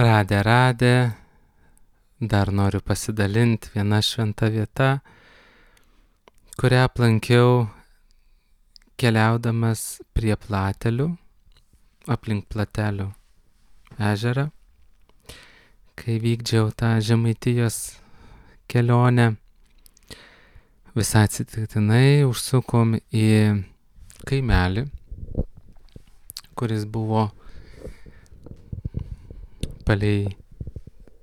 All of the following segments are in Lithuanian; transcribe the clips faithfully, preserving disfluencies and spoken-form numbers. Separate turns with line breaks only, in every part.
Radę, radę, dar noriu pasidalinti viena šventa vieta, kurią aplankiau keliaudamas prie Platelių, aplink Platelių ežerą, kai vykdžiau tą Žemaitijos kelionę. Visai atsitiktinai užsukom į kaimelį, kuris buvo palei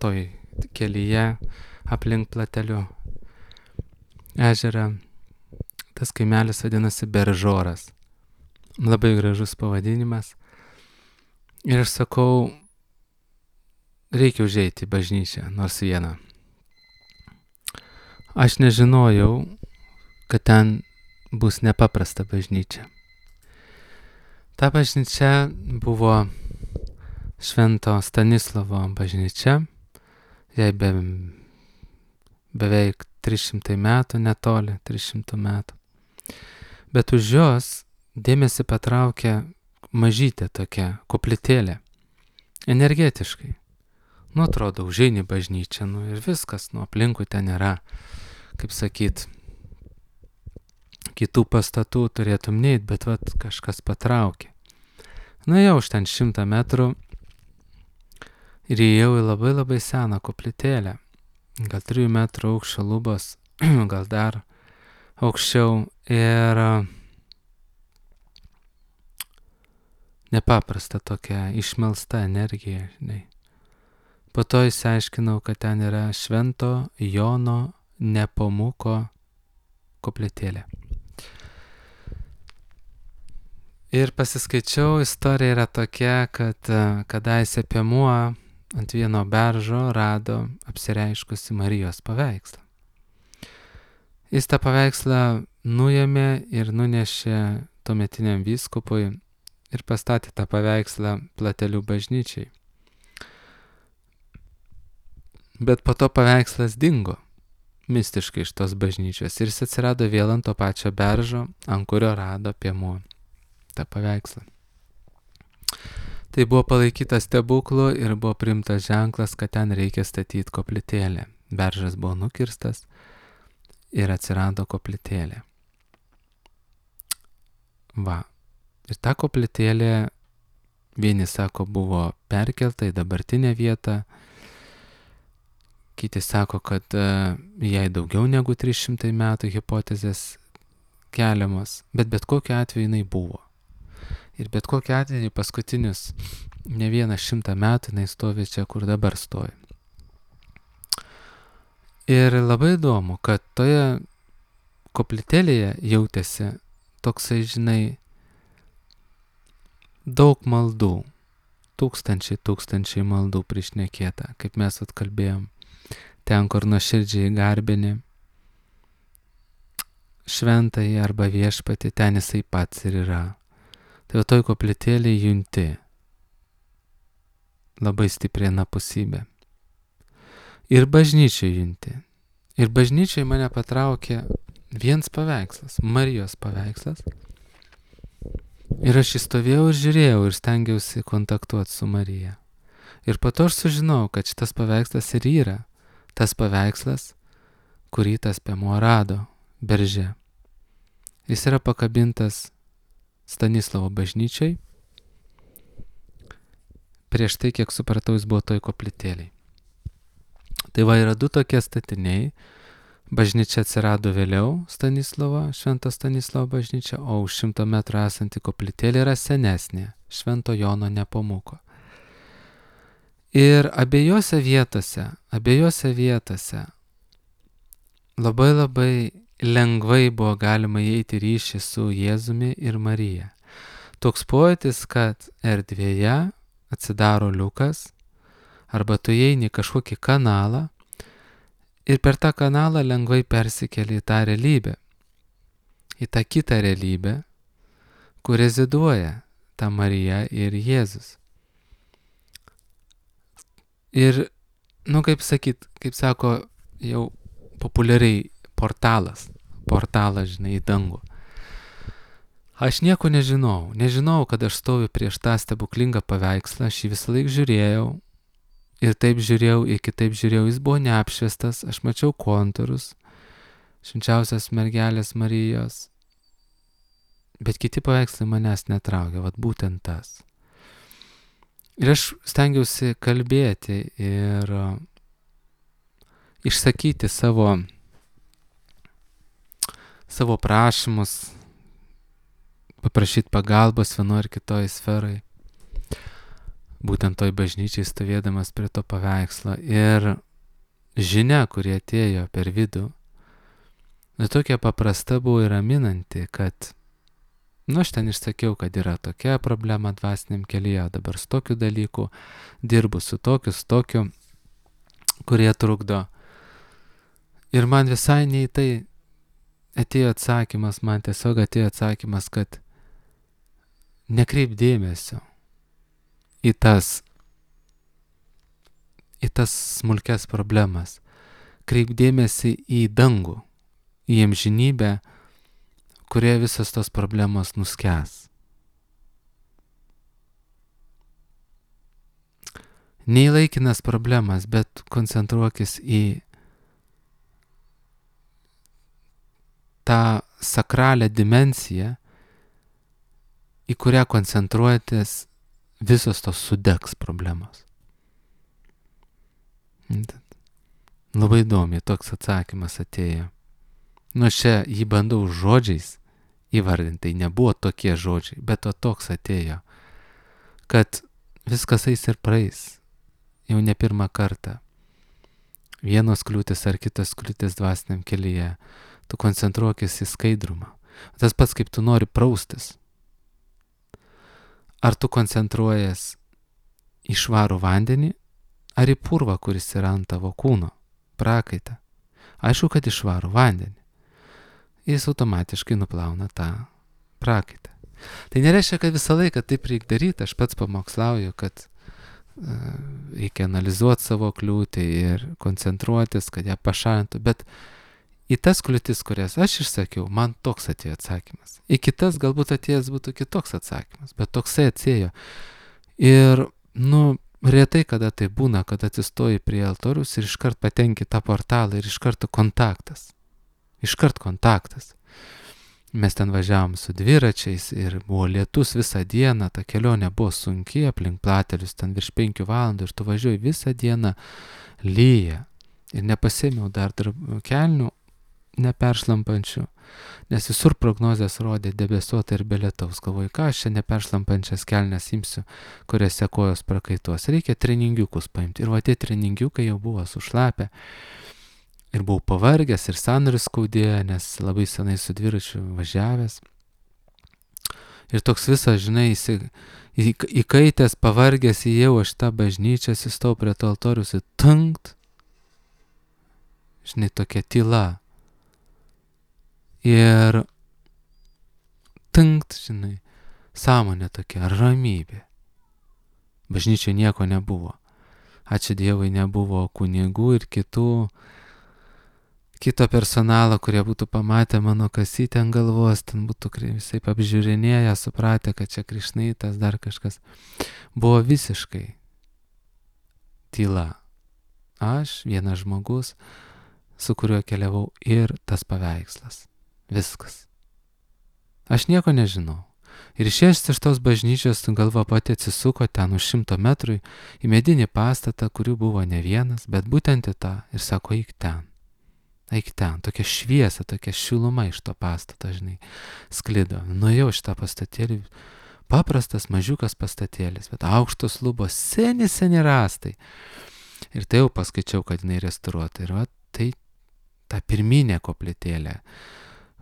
toj kelyje aplink Platelių ežerą. Tas kaimelis vadinasi Beržoras. Labai gražus pavadinimas. Ir aš sakau, reikia užeiti į bažnyčią, nors vieną. Aš nežinojau, kad ten bus nepaprasta bažnyčia. Ta bažnyčia buvo Švento Stanislovo bažnyčia. Jai be, beveik trys šimtai metų, netoli trys šimtų metų. Bet už jos dėmesį patraukė mažytė tokia koplytėlė. Energetiškai. Nu, atrodo, užeini bažnyčią, nu ir viskas, nu aplinkui ten nėra, kaip sakyt, kitų pastatų turėtum neit, bet vat kažkas patraukė. Nu jau už ten šimtą metrų ir įėjau į labai labai seną koplytėlę. Gal trijų metrų aukščio lubos, gal dar aukščiau ir nepaprasta tokia išmelsta energija, žinai. Po to išsiaiškinau, kad ten yra Švento Jono Nepomuko koplytėlė. Ir pasiskaičiau, istorija yra tokia, kad kadaise piemuo ant vieno beržo rado apsireiškusi Marijos paveikslą. Jis tą paveikslą nuėmė ir nunešė tuometiniam vyskupui ir pastatė tą paveikslą Platelių bažnyčiai. Bet po to paveikslas dingo mistiškai iš tos bažnyčios ir jis atsirado vėl ant to pačio beržo, ant kurio rado piemuo tą paveikslą. Tai buvo palaikytas stebuklu ir buvo priimtas ženklas, kad ten reikia statyti koplytėlę. Beržas buvo nukirstas ir atsirado koplytėlė. Va. Ir ta koplytėlė, vieni sako, buvo perkelta į dabartinę vietą, kiti sako, kad uh, jai daugiau negu trys šimtai metų hipotezės keliamos, bet bet kokiu atveju jinai buvo. Ir bet kokiu atveju paskutinius ne vieną šimtą metų jinai stovi čia, kur dabar stovi. Ir labai įdomu, kad toje koplytėlėje jautėsi toksai, žinai, daug maldų, tūkstančiai, tūkstančiai maldų prišnekėta, kaip mes atkalbėjom. Ten, kur nuoširdžiai garbini šventąjį arba viešpatį, ten jisai pats ir yra. Tai toj koplytėlėje junti labai stipriai anapusybė. Ir bažnyčiai junti. Ir bažnyčiai mane patraukė viens paveikslas, Marijos paveikslas. Ir aš įstovėjau ir žiūrėjau ir stengiausi kontaktuoti su Marija. Ir po to aš sužinau, kad šitas paveikslas ir yra tas paveikslas, kurį tas piemuo rado berže. Jis yra pakabintas Stanislovo bažnyčiai. Prieš tai, kiek supratau, jis buvo toj koplytėlėj. Tai va, yra du tokie statiniai. Bažnyčia atsirado vėliau, Stanislovo, Švento Stanislovo bažnyčia, o už šimto metrų esanti koplytėlė yra senesnė, Švento Jono Nepomuko. Ir abiejose vietose, abiejose vietose labai labai lengvai buvo galima įeiti ryšį su Jėzumi ir Marija. Toks pojūtis, kad erdvėje atsidaro liukas, arba tu įeini kažkokį kanalą ir per tą kanalą lengvai persikeli į tą realybę, į tą kitą realybę, kur reziduoja ta Marija ir Jėzus. Ir, nu kaip sakyt, kaip sako jau populiariai, portalas, portalas, žinai, į dangų. Aš nieko nežinau, nežinau, kad aš stoviu prieš tą stebuklingą paveikslą, aš jį visą laik žiūrėjau, ir taip žiūrėjau, ir kitaip žiūrėjau, jis buvo neapšviestas, aš mačiau kontūrus, švenčiausios mergelės Marijos, bet kiti paveikslai manęs netraukė, vat būtent tas. Ir aš stengiausi kalbėti ir išsakyti savo, savo prašymus, paprašyti pagalbos vienoje ar kitoje sferai, būtent toj bažnyčiai stovėdamas prie to paveikslo. Ir žinia, kurie atėjo per vidų, nu, tokia paprasta buvo ir raminanti, kad, nu, aš ten išsakiau, kad yra tokia problema dvasiniam kelyje, dabar su tokiu dalyku dirbu, su tokiu, su tokiu, kurie trukdo. Ir man visai nei tai atėjo atsakymas, man tiesiog atėjo atsakymas, kad nekreip dėmesio į tas, į tas smulkes problemas. Kreip dėmesį į dangų, į amžinybę, kurie visos tos problemos nuskęs. Ne į laikinas problemas, bet koncentruokis į tą sakralią dimensiją, į kurią koncentruotis, visos tos sudegs problemos. Labai įdomiai toks atsakymas atėjo. Nu, čia jį bandau žodžiais įvardinti, tai nebuvo tokie žodžiai, bet to toks atėjo, kad viskas eis ir praeis, jau ne pirmą kartą. Vienos kliūtis ar kitos kliūtis dvasiniam kelyje, tu koncentruokis į skaidrumą. Tas pats, kaip tu nori praustis. Ar tu koncentruojas į švarų vandenį, ar į purvą, kuris yra ant tavo kūno, prakaitą? Aišku, kad į švarų vandenį. Jis automatiškai nuplauna tą prakaitą. Tai nereiškia, kad visą laiką taip reikia daryti. Aš pats pamokslauju, kad uh, reikia analizuoti savo kliūtį ir koncentruotis, kad ją pašalintų. Bet į tas kliūtis, kurias aš išsakiau, man toks atėjo atsakymas. Į kitas galbūt atėjęs būtų kitoks atsakymas, bet toksai atėjo. Ir, nu, retai kada tai būna, kad atsistoji prie altorius ir iškart patenki tą portalą ir iš karto kontaktas. Iškart kontaktas. Mes ten važiavom su dviračiais ir buvo lietus visą dieną, ta kelionė buvo sunki, aplink platelius ten virš penkių valandų ir tu važiuoji visą dieną, lyja. Ir nepasėmiau dar kelnių neperšlampančių, nes visur prognozės rodė debesuotą ir be lietaus. Galvoju, ką aš čia neperšlampančias kelnes imsiu, kuriuose kojos prakaituos. Reikia treningiukus paimti. Ir va tie treningiukai jau buvo sušlapę. Ir buvau pavargęs ir sąnarius skaudėjo, nes labai senai su dviračiu važiavęs. Ir toks visas, žinai, įkaitęs, pavargęs įėjau aš tą bažnyčią, įstojau prie to altorius ir tankt. Žinai, tokia tyla. Ir tankt, žinai, sąmonė tokia, ramybė. Bažnyčioje nieko nebuvo. Ačiū Dievui, nebuvo kunigų ir kitų kito personalo, kurie būtų pamatę mano kasytę ant galvos, ten būtų visai apžiūrinėję, supratę, kad čia krišnaitas, dar kažkas. Buvo visiškai tyla. Aš, vienas žmogus, su kuriuo keliavau ir tas paveikslas. Viskas. Aš nieko nežinau. Ir išėjęs iš tos bažnyčios, galva pati atsisuko ten už šimto metrų į medinį pastatą, kurių buvo ne vienas, bet būtent į tą ir sako, eik ten. Eik ten, tokia šviesa, tokia šiluma iš to pastato, žinai, sklido. Nuėjau šitą pastatėlį, paprastas mažiukas pastatėlis, bet aukštos lubos, seni, seni rąstai. Ir tai jau paskaičiau, kad jinai restauruota. Ir va, tai ta pirminė koplytėlė,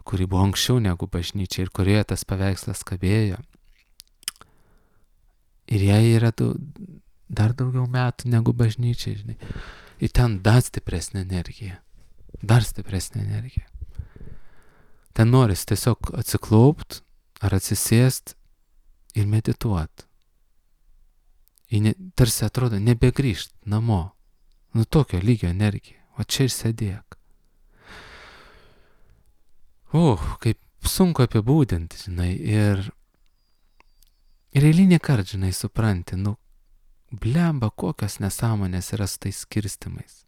kuri buvo anksčiau negu bažnyčia ir kurioje tas paveikslas kabėjo. Ir jai yra daug, dar daugiau metų negu bažnyčia, žinai. Ir ten dar stipresnė energija. Dar stipresnė energija. Ten noris tiesiog atsiklaupt ar atsisėst ir medituot. Ne, tarsi atrodo nebegrįžt namo. Nu tokio lygio energija. O čia ir sėdėk. O, kaip sunku apibūdinti, žinai. Ir, ir eilinį kartą, žinai, supranti, nu, blemba, kokios nesąmonės yra su tais skirstimais.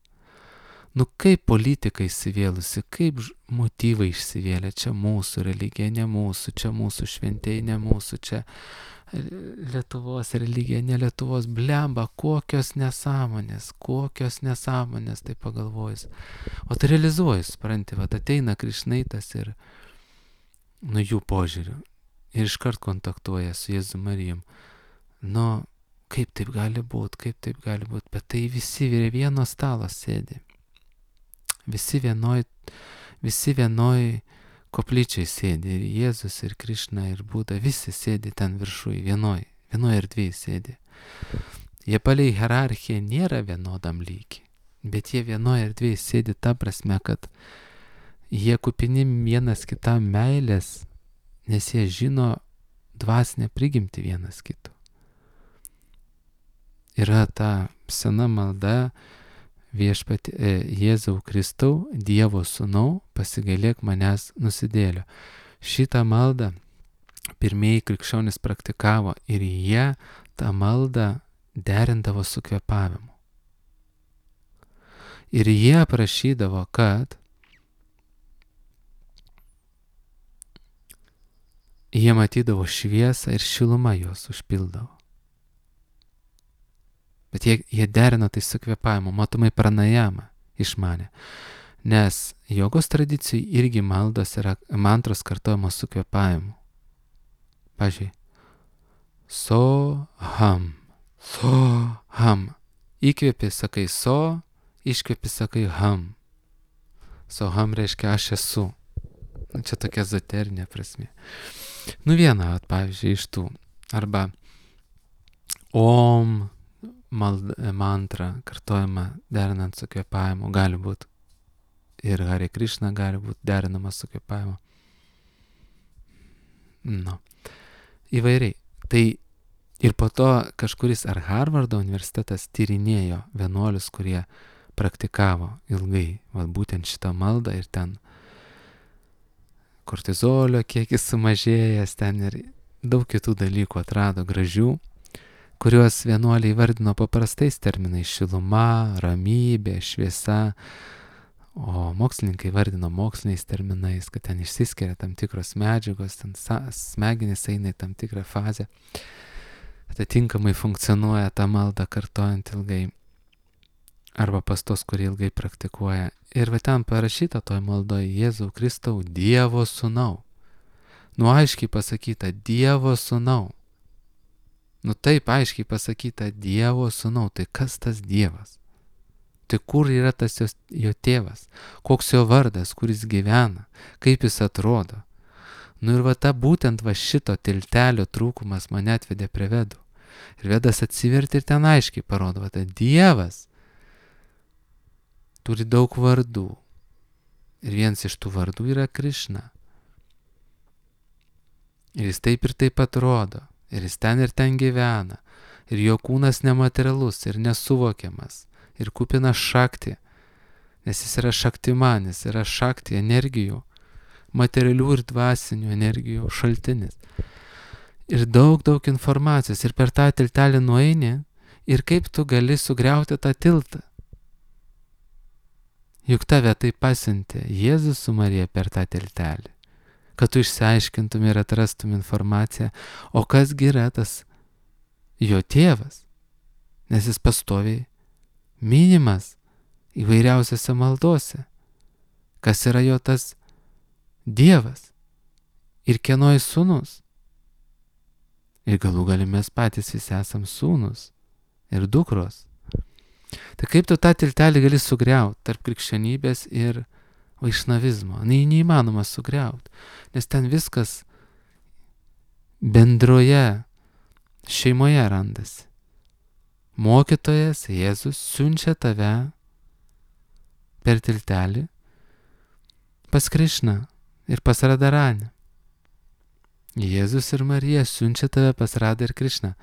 Nu kaip politika įsivėlusi, kaip motyvai išsivėlė, čia mūsų religija, ne mūsų, čia mūsų šventėjai, ne mūsų, čia Lietuvos religija, ne Lietuvos, blemba, kokios nesąmonės, kokios nesąmonės, tai pagalvojus. O tai realizuojas, supranti, va ateina Krišnaitas ir nu jų požiūriu ir iškart kontaktuoja su Jėzu Marijom. Nu, kaip taip gali būti, kaip taip gali būti, bet tai visi prie vieno stalo sėdi. Visi vienoj, visi vienoj koplyčiai sėdi, ir Jėzus, ir Krišna, ir Buda, visi sėdi ten viršui, vienoj, vienoj erdvėj sėdi. Jie palei hierarchiją nėra vienodam lygiai, bet jie vienoj erdvėj sėdi ta prasme, kad jie kupini vienas kitam meilės, nes jie žino dvasinę prigimtį vienas kito. Yra ta sena malda, viešpati e, Jėzau Kristau, Dievo sūnau, pasigailėk manęs nusidėlio. Šitą maldą pirmieji krikščionys praktikavo ir jie tą maldą derindavo su kvėpavimu. Ir jie prašydavo, kad jie matydavo šviesą ir šiluma juos užpildavo. Bet jie, jie derino tai su kvėpavimu, matomai pranajamą išmanė. Nes jogos tradicijai irgi maldos yra mantros kartojamos su kvėpavimu. Pavyzdžiui, so, ham, so, ham. Įkvėpi, sakai so, iškvėpi, sakai ham. So, ham reiškia aš esu. Čia tokia ezoterinė prasmė. Nu viena, at, pavyzdžiui, iš tų. Arba om, Mald, mantra kartojama derinant su kvėpavimu, gali būti ir Hare Krishna gali būti derinama su kvėpavimu. Nu, įvairiai. Tai ir po to kažkuris ar Harvardo universitetas tyrinėjo vienuolius, kurie praktikavo ilgai, va, būtent šitą maldą ir ten kortizolio kiekis sumažėjęs, ten ir daug kitų dalykų atrado gražių, kuriuos vienuoliai vardino paprastais terminais - šiluma, ramybė, šviesa, o mokslininkai vardino moksliniais terminais, kad ten išsiskiria tam tikros medžiagos, ten smegenys eina į tam tikrą fazę, atitinkamai funkcionuoja tą maldą kartojant ilgai, arba pas tos, kurie ilgai praktikuoja. Ir va ten parašyta toj maldoje Jėzau Kristau, Dievo sūnau. Nu aiškiai pasakyta, Dievo sūnau. Nu taip aiškiai pasakyta, Dievo sūnau, tai kas tas Dievas? Tai kur yra tas jo, jo tėvas? Koks jo vardas, kur jis gyvena? Kaip jis atrodo? Nu ir va ta būtent va šito tiltelio trūkumas mane atvedė prie vedų. Ir vedas atsiverti ir ten aiškiai parodo, va ta Dievas turi daug vardų. Ir vienas iš tų vardų yra Krišna. Ir jis taip ir taip atrodo. Ir jis ten ir ten gyvena, ir jo kūnas nematerialus ir nesuvokiamas, ir kupinas šakti, nes jis yra šaktimanis, yra šakti energijų, materialių ir dvasinių energijų šaltinis. Ir daug, daug informacijos, ir per tą tiltelį nueini, ir kaip tu gali sugriauti tą tiltą. Juk tave tai pasiuntė Jėzus su Marija per tą tiltelį, kad tu išsiaiškintum ir atrastum informaciją, o kasgi yra tas jo tėvas, nes jis pastoviai minimas įvairiausiose maldose, kas yra jo tas Dievas ir kieno jis sūnus. Ir galų gali mes patys visi esam sūnus ir dukros. Tai kaip tu tą tiltelį gali sugriauti tarp krikščionybės ir vaišnavizmo? Ne, neįmanoma sugriauti, nes ten viskas bendroje šeimoje randasi. Mokytojas Jėzus siunčia tave per tiltelį pas Krišną ir pas Radharanį. Jėzus ir Marija siunčia tave pas Radha ir Krišną.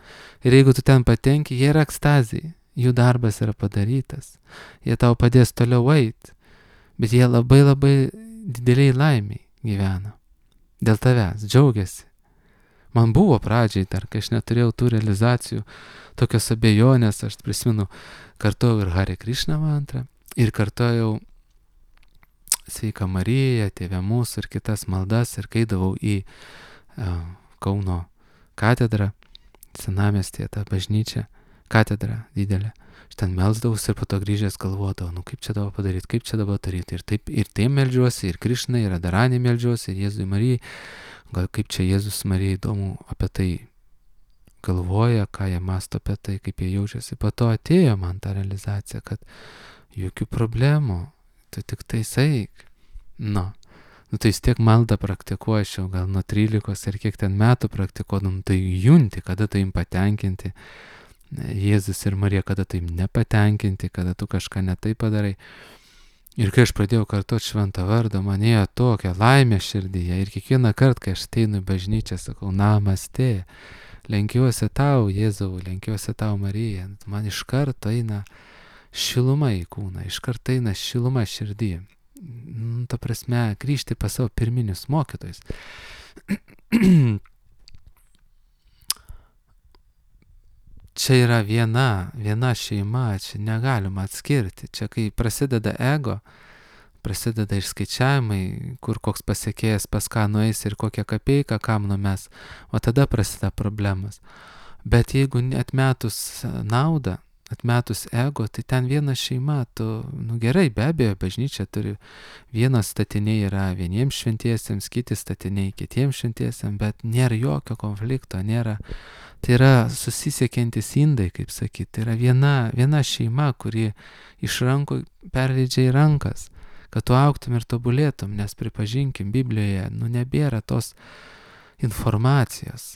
Ir jeigu tu ten patenki, jie yra ekstazijai, jų darbas yra padarytas, jie tau padės toliau eiti. Bet jie labai labai dideliai laimiai gyvena. Dėl tavęs džiaugiasi. Man buvo pradžiai dar, kai aš neturėjau tų realizacijų, tokios abejonės, aš prisimenu, kartojau ir Hare Krishna mantrą, ir kartojau Sveika Marija, Tėve mūsų ir kitas maldas, ir kaidavau į uh, Kauno katedrą, senamiestyje tą bažnyčią, katedrą didelę. Aš ten melsdavausi ir po to grįžęs galvodavau, nu kaip čia dabar padaryti, kaip čia dabar daryti. Ir taip, ir tai meldžiuosi, ir Krišnai, ir Radharanį meldžiuosi, ir Jėzui Marijai. Gal kaip čia Jėzus Marijai įdomu apie tai galvoja, ką jie masto apie tai, kaip jie jaučiasi. Po to atėjo man ta realizacija, kad jokių problemų, tu tik tai saik. Nu, nu tai vis tiek maldą praktikuočiau, gal nuo trylikos ir kiek ten metų praktikuodam, tai junti, kada tai im patenkinti. Jėzus ir Marija, kada tai nepatenkinti, kada tu kažką netai padarai. Ir kai aš pradėjau kartuoti šventą vardą, man ėjo tokia laimė širdyje. Ir kiekvieną kartą, kai aš ateinu į bažnyčią, sakau, namaste, lenkiuosi tau, Jėzau, lenkiuosi tau, Marija. Man iš karto eina šiluma į kūną, iš karto eina šiluma širdį. Nu, ta prasme, grįžti pas savo pirminius mokytojus. Čia yra viena, viena šeima, čia negalima atskirti. Čia kai prasideda ego, prasideda išskaičiavimai, kur koks pasiekėjas pas ką nueis ir kokią kapeiką kam numes, o tada prasideda problemas. Bet jeigu atmetus naudą, atmetus ego, tai ten viena šeima, tu, nu gerai, be abejo, bažnyčia turi, vienas statiniai yra vieniems šventiesiems, kiti statiniai kitiems šventiesiems, bet nėra jokio konflikto, nėra. Tai yra susisiekiantis indai, kaip sakyti, tai yra viena, viena šeima, kuri iš rankų perleidžia į rankas, kad tu augtum ir tobulėtum, nes pripažinkim, Biblijoje, nu nebėra tos informacijos,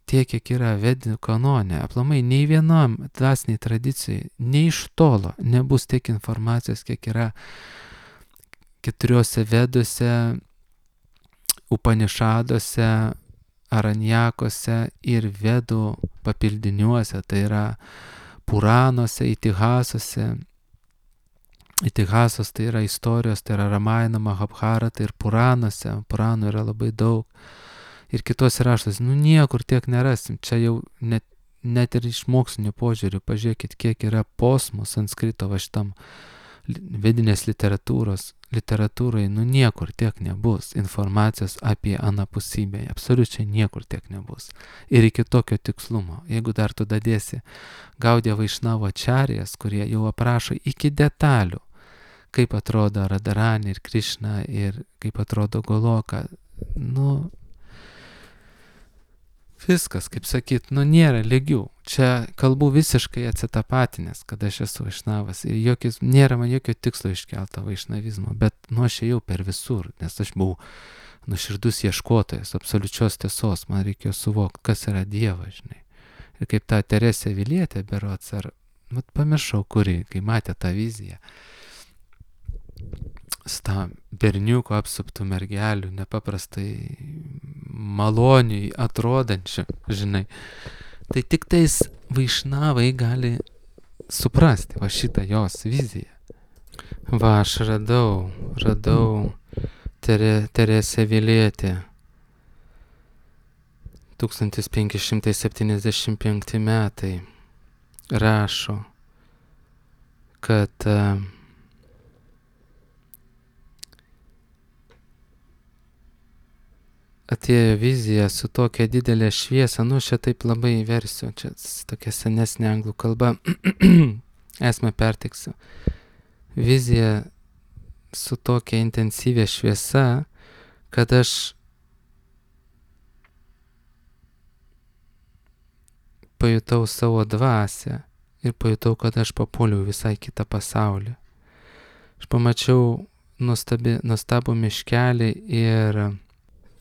tiek, kiek yra vedinių kanone, aplamai nei vienam dvasiniai tradicijai, nei iš tolo nebus tiek informacijos, kiek yra keturiuose veduose, Upanišaduose, Aranjakose ir vedų papildiniuose, tai yra Puranuose, Itihasuose. Itihasos tai yra istorijos, tai yra Ramayana, Mahabharata ir Puranuose, Puranų yra labai daug. Ir kitose raštuose, nu niekur tiek nerasim, čia jau net, net ir iš mokslinio požiūrių, pažiūrėkit, kiek yra posmų sanskrito va šitam vedinės literatūros, literatūrai, nu niekur tiek nebus informacijos apie anapusybę, absoliučiai niekur tiek nebus. Ir iki tokio tikslumo, jeigu dar tu dadėsi Gaudija Vaišnavo Ačarijas, kurie jau aprašo iki detalių, kaip atrodo Radharani ir Krišna ir kaip atrodo Goloka, nu viskas, kaip sakyt, nu nėra lygių. Čia kalbu visiškai atsitapatinės, kad aš esu vaišnavas ir jokis, nėra man jokio tikslo iškelto vaišnavizmo, bet nu aš ėjau per visur, nes aš buvau nuoširdus ieškotojas, absoliučios tiesos, man reikėjo suvokti, kas yra Dievas, žinai. Ir kaip ta Teresė Vilietė berods, ar, nu, pamiršau, kuri, kai matė tą viziją, su tą berniuko apsuptų mergelių, nepaprastai maloniai atrodančių, žinai. Tai tik tais vaišnavai gali suprasti va šitą jos viziją. Va, aš radau, radau Tere, Teresę Vilietę. tūkstantis penki šimtai septyniasdešimt penkti metai rašo, kad uh, atėjo vizija su tokia didelė šviesa, nu čia taip labai versiu, čia tokia senesnė anglų kalba, esmę pertiksiu. Vizija su tokia intensyvia šviesa, kad aš pajutau savo dvasią ir pajutau, kad aš papuoliau visai kitą pasaulį. Aš pamačiau nuostabi, nuostabų miškelį ir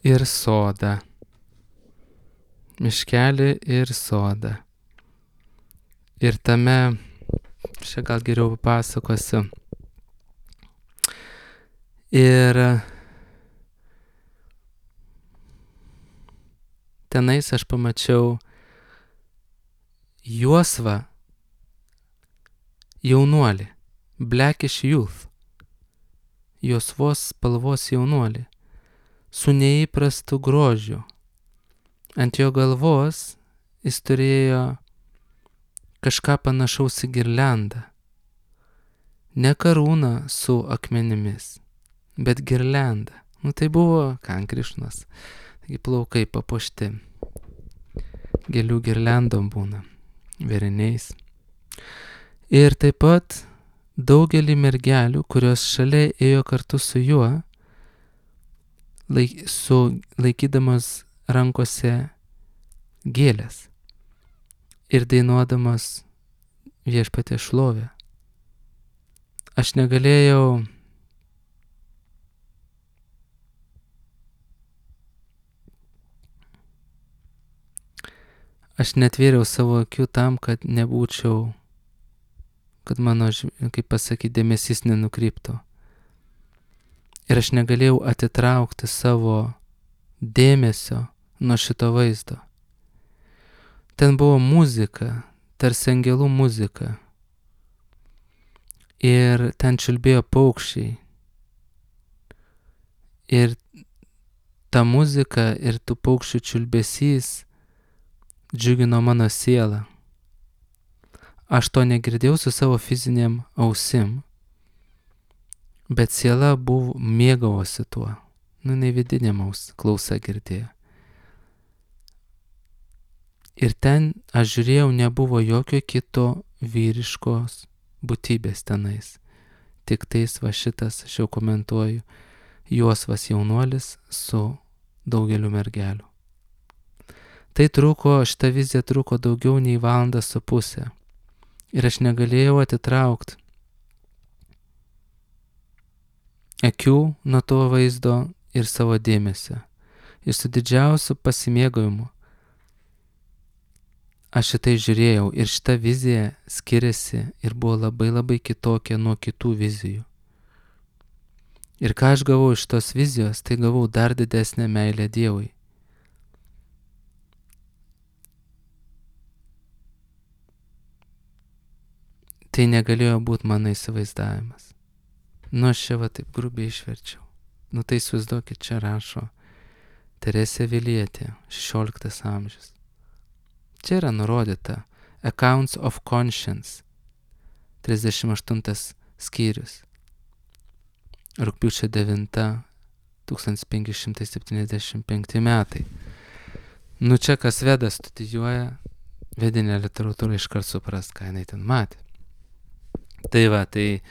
ir sodą. Miškelį ir sodą. Ir tame, čia gal geriau papasakosiu. Ir tenais aš pamačiau juosvą jaunuolį, blackish youth, juosvos spalvos jaunuolį, su neįprastu grožiu, ant jo galvos jis turėjo kažką panašaus į girliandą. Ne karūną su akmenimis, bet girliandą. Nu tai buvo kan Krišnos. Taigi plaukai papuošti. Gėlių girliandom būna, vėriniais. Ir taip pat daugelį mergelių, kurios šalia ėjo kartu su juo, laik, su laikydamas rankose gėlės ir dainuodamas Viešpaties šlovę. Aš negalėjau Aš netvėriau savo akių tam, kad nebūčiau, kad mano, kaip pasakyti, dėmesys nenukryptų. Ir aš negalėjau atitraukti savo dėmesio nuo šito vaizdo. Ten buvo muzika, tarsi angelų muzika. Ir ten čiulbėjo paukščiai. Ir ta muzika ir tų paukščių čiulbesys džiugino mano sielą. Aš to negirdėjau su savo fiziniam ausim, bet siela buvo mėgavosi tuo. Nu, ne vidinėm aus klausa girdėjo. Ir ten aš žiūrėjau, nebuvo jokio kito vyriškos būtybės tenais. Tik tais va šitas, aš jau komentuoju, juosvas jaunuolis su daugeliu mergelių. Tai truko, šita vizija truko daugiau nei valandą su pusę. Ir aš negalėjau atitraukti akių nuo to vaizdo ir savo dėmesio. Ir su didžiausiu pasimėgavimu aš šitai žiūrėjau ir šita vizija skiriasi ir buvo labai labai kitokia nuo kitų vizijų. Ir ką aš gavau iš tos vizijos, tai gavau dar didesnę meilę Dievui. Tai negalėjo būti mano įsivaizdavimas. Nu, aš čia va taip grubiai išverčiau. Nu, tai įsivaizduokit, čia rašo Teresė Vilietė, šešioliktas amžius. Čia yra nurodyta Accounts of Conscience, trisdešimt aštuntas skyrius. Rugpjūčio devinta, tūkstantis penki šimtai septyniasdešimt penkti metai. Nu, čia kas Vedą studijuoja, vedinę literatūrą iškart supras, ką jinai ten matė. Tai va, tai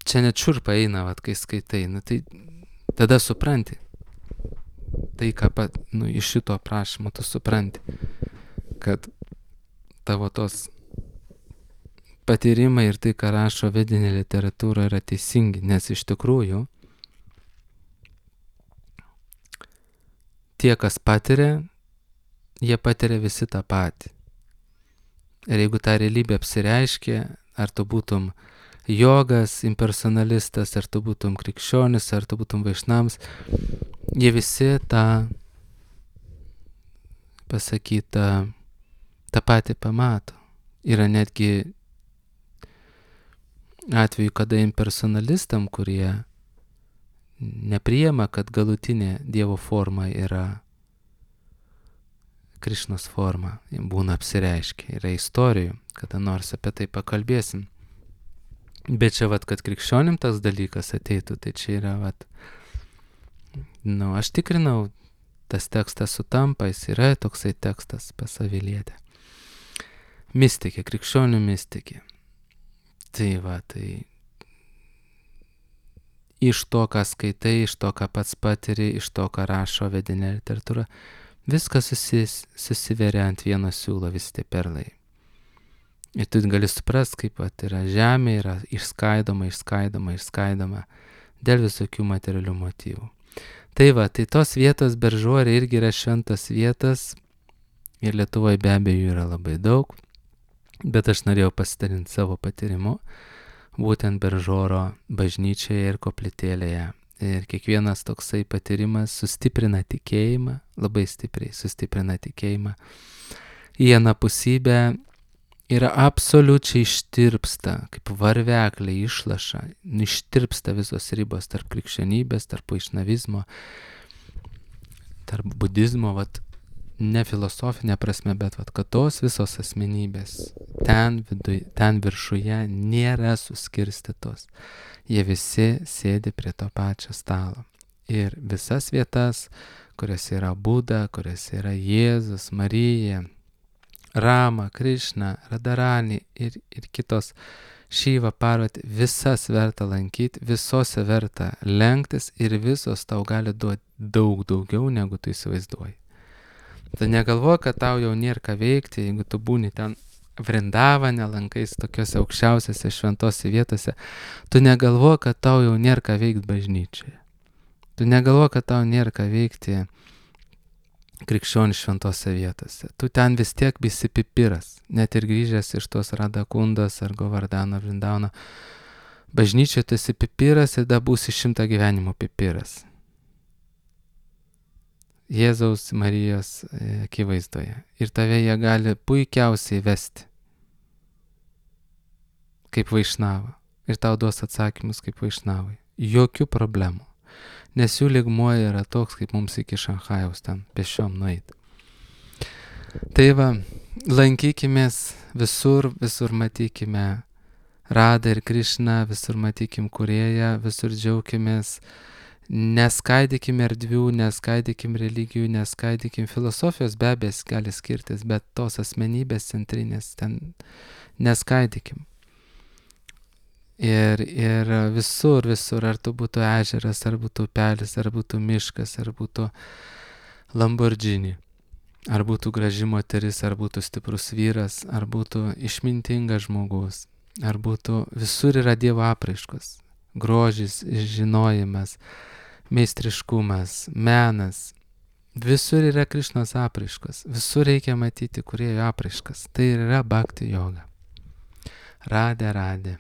čia net šiurpa eina, va, kai skaitai, nu tai tada supranti. Tai, ką pat, nu, iš šito aprašymo tu supranti, kad tavo tos patyrimai ir tai, ką rašo vedinė literatūra, yra teisingi, nes iš tikrųjų tie, kas patiria, jie patiria visi tą patį. Ir jeigu ta realybė apsireiškia, ar tu būtum jogas, impersonalistas, ar tu būtum krikščionis, ar tu būtum vaišnams, jie visi tą pasakytą, tą patį pamato. Yra netgi atveju, kada impersonalistam, kurie nepriima, kad galutinė Dievo forma yra Krišnos forma, būna apsireiškia. Yra istorijų, kada nors apie tai pakalbėsim. Bet čia vat, kad krikščionim tas dalykas ateitų, tai čia yra vat, nu, aš tikrinau, tas tekstas sutampa, jis yra toksai tekstas pas Vilietę. Mistikė, krikščionių mistikė. Tai va, tai iš to, ką skaitai, iš to, ką pats patiri, iš to, ką rašo vedinė literatūra, viskas susis, susiveria ant vieno siūlo, visi tie perlai. Ir tu gali suprast, kaip vat, yra žemė, yra išskaidoma, išskaidoma, išskaidoma dėl visokių materialių motyvų. Tai va, tai tos vietos Beržorė irgi yra šventos vietos ir Lietuvoje be abejo yra labai daug, bet aš norėjau pasidalinti savo patyrimu, būtent Beržoro bažnyčioje ir koplytėlėje. Ir kiekvienas toksai patyrimas sustiprina tikėjimą, labai stipriai sustiprina tikėjimą. Į anapusybę yra absoliučiai ištirpsta, kaip varveklė išlaša, ištirpsta visos ribos tarp krikščionybės, tarp vaišnavizmo, tarp budizmo, vat, ne filosofinė prasme, bet vat, kad tos visos asmenybės ten, viduj, ten viršuje nėra suskirstytos. Jie visi sėdi prie to pačio stalo. Ir visas vietas, kuriuose yra Buda, kuriuose yra Jėzus, Marija, Rama, Krišna, Radharani ir, ir kitos Šiva, Parvati, visas verta lankyti, visose verta lenktis ir visos tau gali duoti daug daugiau, negu tu įsivaizduoji. Tu negalvoji, kad tau jau nėra ką veikti, jeigu tu būni ten Vrindavane, lankais tokiuose aukščiausiose šventose vietose, tu negalvoji, kad tau jau nėra ką veikti bažnyčioje. Tu negalvoji, kad tau nėra ką veikti krikščionių šventose vietose. Tu ten vis tiek visi pipiras, net ir grįžęs iš tos Radakundos ar Govardhano Vrindavano. Bažnyčioje tu esi pipiras ir da būsi šimtą gyvenimų pipiras. Jėzaus Marijos akivaizdoje. Ir tave jie gali puikiausiai vesti kaip vaišnava. Ir tau duos atsakymus kaip vaišnavai. Jokių problemų. Nes jų lygmuo yra toks, kaip mums iki Šanchajaus ten pešiom nueiti. Tai va, lankykimės visur, visur matykime Radą ir Krišną, visur matykim Kūrėją, visur džiaukimės. Neskaidykime erdvių, neskaidykime religijų, neskaidykime filosofijos, be abejo gali skirtis, bet tos asmenybės centrinės ten neskaidykime. Ir, ir visur, visur, ar tu būtų ežeras, ar būtų upelis, ar būtų miškas, ar būtų Lamborghini, ar būtų graži moteris, ar būtų stiprus vyras, ar būtų išmintingas žmogus, ar būtų, visur yra Dievo apraiškos, grožis, žinojimas, meistriškumas, menas, visur yra Krišnos apraiškos, visur reikia matyti Kūrėjo apraiškas, tai yra bhakti joga. Radė, radė.